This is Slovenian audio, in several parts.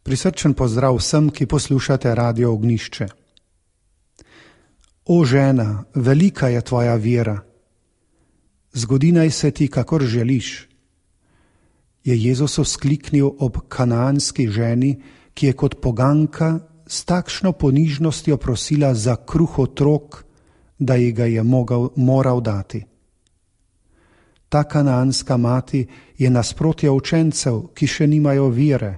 Prisrčen pozdrav vsem, ki poslušate Radio Ognjišče. O žena, velika je tvoja vera. Zgodi naj se ti, kakor želiš. Je Jezus vzkliknil ob kanaanski ženi, ki je kot poganka s takšno ponižnostjo prosila za kruh otrok, da ji ga je moral dati. Ta kanaanska mati je nasprotje učencev, ki še nimajo vere,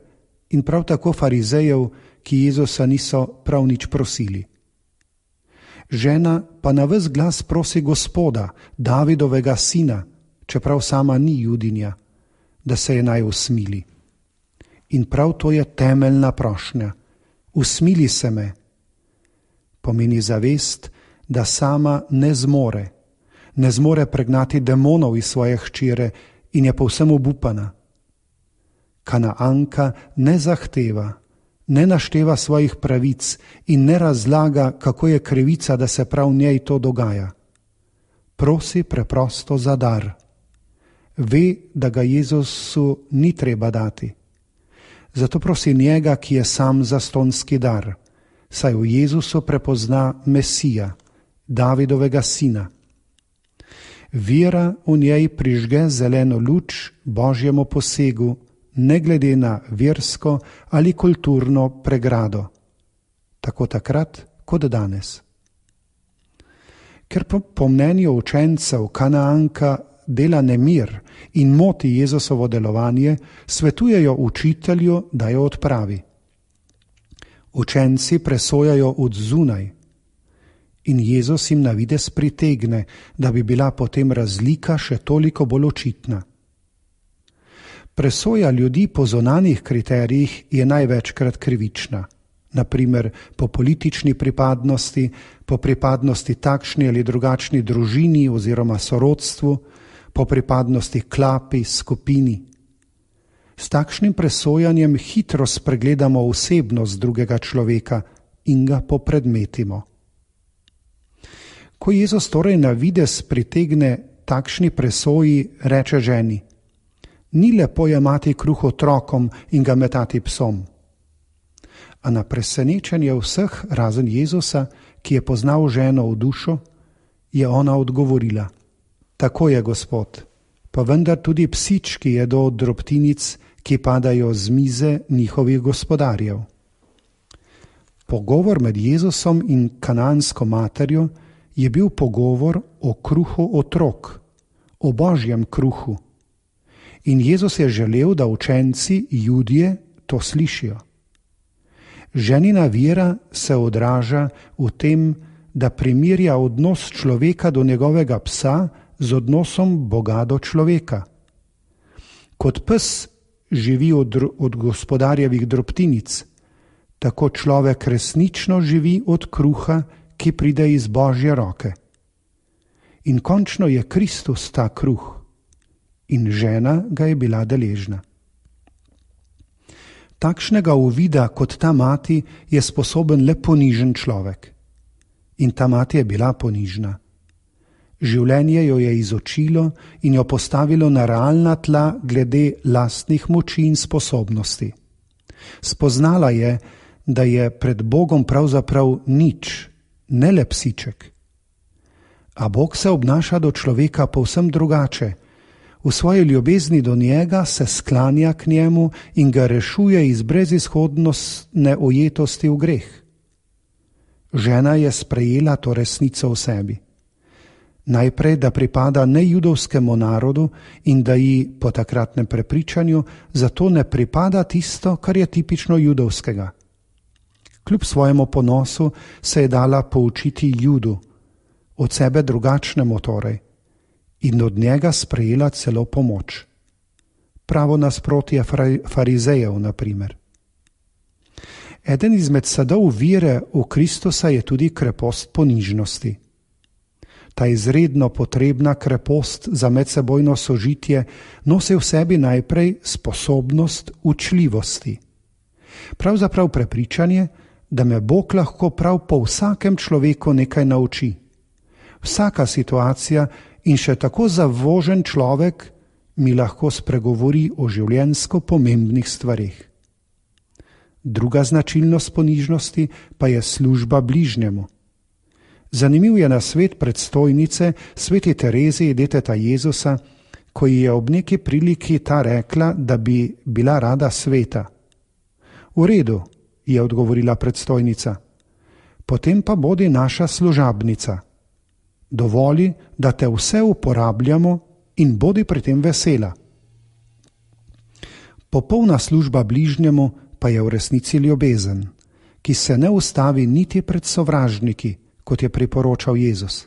in prav tako farizejev, ki Jezusa niso prav nič prosili. Žena pa na ves glas prosi Gospoda, Davidovega sina, čeprav sama ni Judinja, da se je naj usmili. In prav to je temeljna prošnja. Usmili se me. Pomeni zavest, da sama ne zmore pregnati demonov iz svoje hčere in je povsem obupana. Kanaanka ne zahteva, ne našteva svojih pravic in ne razlaga, kako je krivica, da se prav njej to dogaja. Prosi preprosto za dar. Ve, da ga Jezusu ni treba dati. Zato prosi njega, ki je sam zastonski dar, saj v Jezusu prepozna Mesija, Davidovega sina. Vera v njej prižge zeleno luč Božjemu posegu, ne glede na versko ali kulturno pregrado, tako takrat kot danes. Ker po mnenju učencev Kanaanka dela nemir in moti Jezusovo delovanje, svetujejo učitelju, da jo odpravi. Učenci presojajo od zunaj in Jezus jim na videz pritegne, da bi bila potem razlika še toliko bolj očitna. Presoja ljudi po zunanjih kriterijih je največkrat krivična, na primer po politični pripadnosti, po pripadnosti takšni ali drugačni družini oziroma sorodstvu, po pripadnosti klapi, skupini. S takšnim presojanjem hitro spregledamo osebnost drugega človeka in ga popredmetimo. Ko Jezus torej na videz pritegne takšni presoji, reče ženi: ni lepo jemati kruh otrokom in ga metati psom. A na presenečenje vseh, razen Jezusa, ki je poznal ženo v dušo, je ona odgovorila: tako je, Gospod, pa vendar tudi psički jedo od drobtinic, ki padajo z mize njihovih gospodarjev. Pogovor med Jezusom in kanaansko materjo je bil pogovor o kruhu otrok, o Božjem kruhu. In Jezus je želel, da učenci, Judje, to slišijo. Ženina vera se odraža v tem, da primerja odnos človeka do njegovega psa z odnosom Boga do človeka. Kot pes živi od gospodarjevih drobtinic, tako človek resnično živi od kruha, ki pride iz Božje roke. In končno je Kristus ta kruh. In žena ga je bila deležna. Takšnega uvida kot ta mati je sposoben le ponižen človek. In ta mati je bila ponižna. Življenje jo je izočilo in jo postavilo na realna tla glede lastnih moči in sposobnosti. Spoznala je, da je pred Bogom pravzaprav nič, ne le psiček. A Bog se obnaša do človeka povsem drugače. V svoji ljubezni do njega se sklanja k njemu in ga rešuje iz brezizhodnostne ujetosti v greh. Žena je sprejela to resnico v sebi. Najprej, da pripada nejudovskemu narodu in da ji po takratnem prepričanju zato ne pripada tisto, kar je tipično judovskega. Kljub svojemu ponosu se je dala poučiti Judu, od sebe drugačnemu torej, in od njega sprejela celo pomoč. Pravo nasprotje farizejev, na primer. Eden izmed sadov vere v Kristusa je tudi krepost ponižnosti. Ta izredno potrebna krepost za medsebojno sožitje nosi v sebi najprej sposobnost učljivosti. Pravzaprav prepričanje, da me Bog lahko prav po vsakem človeku nekaj nauči. Vsaka situacija in še tako zavožen človek mi lahko spregovori o življenjsko pomembnih stvareh. Druga značilnost ponižnosti pa je služba bližnjemu. Zanimiv je nasvet predstojnice sveti Terezije deteta Jezusa, ko ji je ob neki priliki ta rekla, da bi bila rada sveta. V redu, je odgovorila predstojnica, potem pa bodi naša služabnica. Dovoli, da te vse uporabljamo in bodi pri tem vesela. Popolna služba bližnjemu pa je v resnici ljubezen, ki se ne ustavi niti pred sovražniki, kot je priporočal Jezus.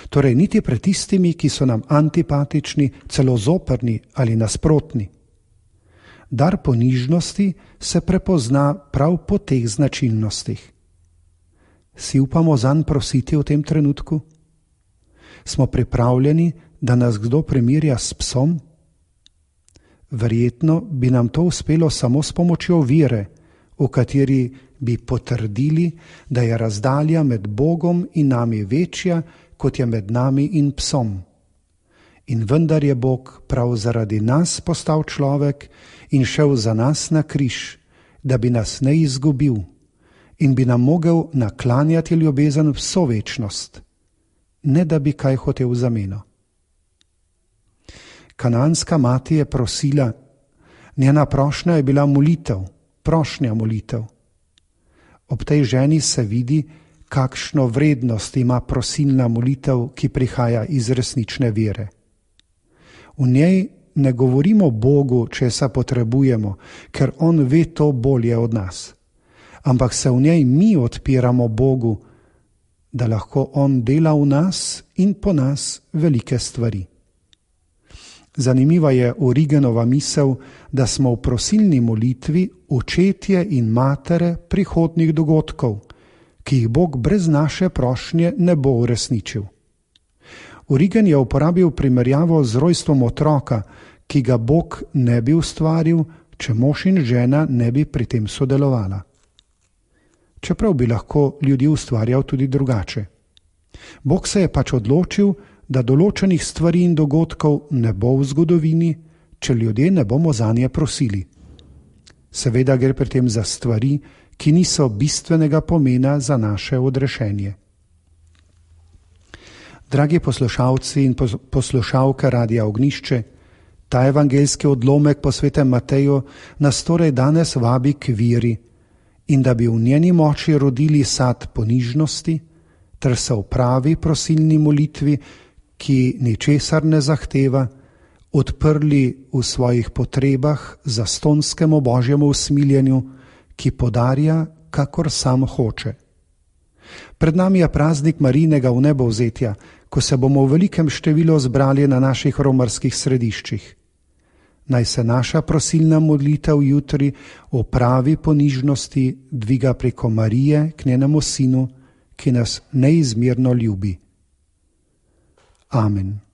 Torej niti pred tistimi, ki so nam antipatični, celo zoprni ali nasprotni. Dar ponižnosti se prepozna prav po teh značilnostih. Si upamo zanj prositi v tem trenutku? Smo pripravljeni, da nas kdo primerja s psom? Verjetno bi nam to uspelo samo s pomočjo vere, v kateri bi potrdili, da je razdalja med Bogom in nami večja, kot je med nami in psom. In vendar je Bog prav zaradi nas postal človek in šel za nas na križ, da bi nas ne izgubil in bi nam mogel naklanjati ljubezen vso večnost, ne da bi kaj hotel v zameno. Kananska mati je prosila, njena prošnja je bila molitev, prošnja molitev. Ob tej ženi se vidi, kakšno vrednost ima prosilna molitev, ki prihaja iz resnične vere. V njej ne govorimo Bogu, česa potrebujemo, ker On ve to bolje od nas, ampak se v njej mi odpiramo Bogu, da lahko On dela v nas in po nas velike stvari. Zanimiva je Origenova misel, da smo v prosilni molitvi očetje in matere prihodnjih dogodkov, ki jih Bog brez naše prošnje ne bo uresničil. Origen je uporabil primerjavo z rojstvom otroka, ki ga Bog ne bi ustvaril, če mož in žena ne bi pri tem sodelovala. Čeprav bi lahko ljudi ustvarjal tudi drugače. Bog se je pač odločil, da določenih stvari in dogodkov ne bo v zgodovini, če ljudje ne bomo zanje prosili. Seveda gre pri tem za stvari, ki niso bistvenega pomena za naše odrešenje. Dragi poslušalci in poslušalke Radia Ognjišče, ta evangeljski odlomek po svetem Mateju nas torej danes vabi k veri in da bi v njeni moči rodili sad ponižnosti ter se v pravi prosilni molitvi, ki ničesar ne zahteva, odprli v svojih potrebah zastonskemu Božjemu usmiljenju, ki podarja, kakor sam hoče. Pred nami je praznik Marijinega vnebovzetja, ko se bomo v velikem številu zbrali na naših romarskih središčih. Naj se naša prosilna molitev jutri v pravi ponižnosti dviga preko Marije k njenemu Sinu, ki nas neizmerno ljubi. Amen.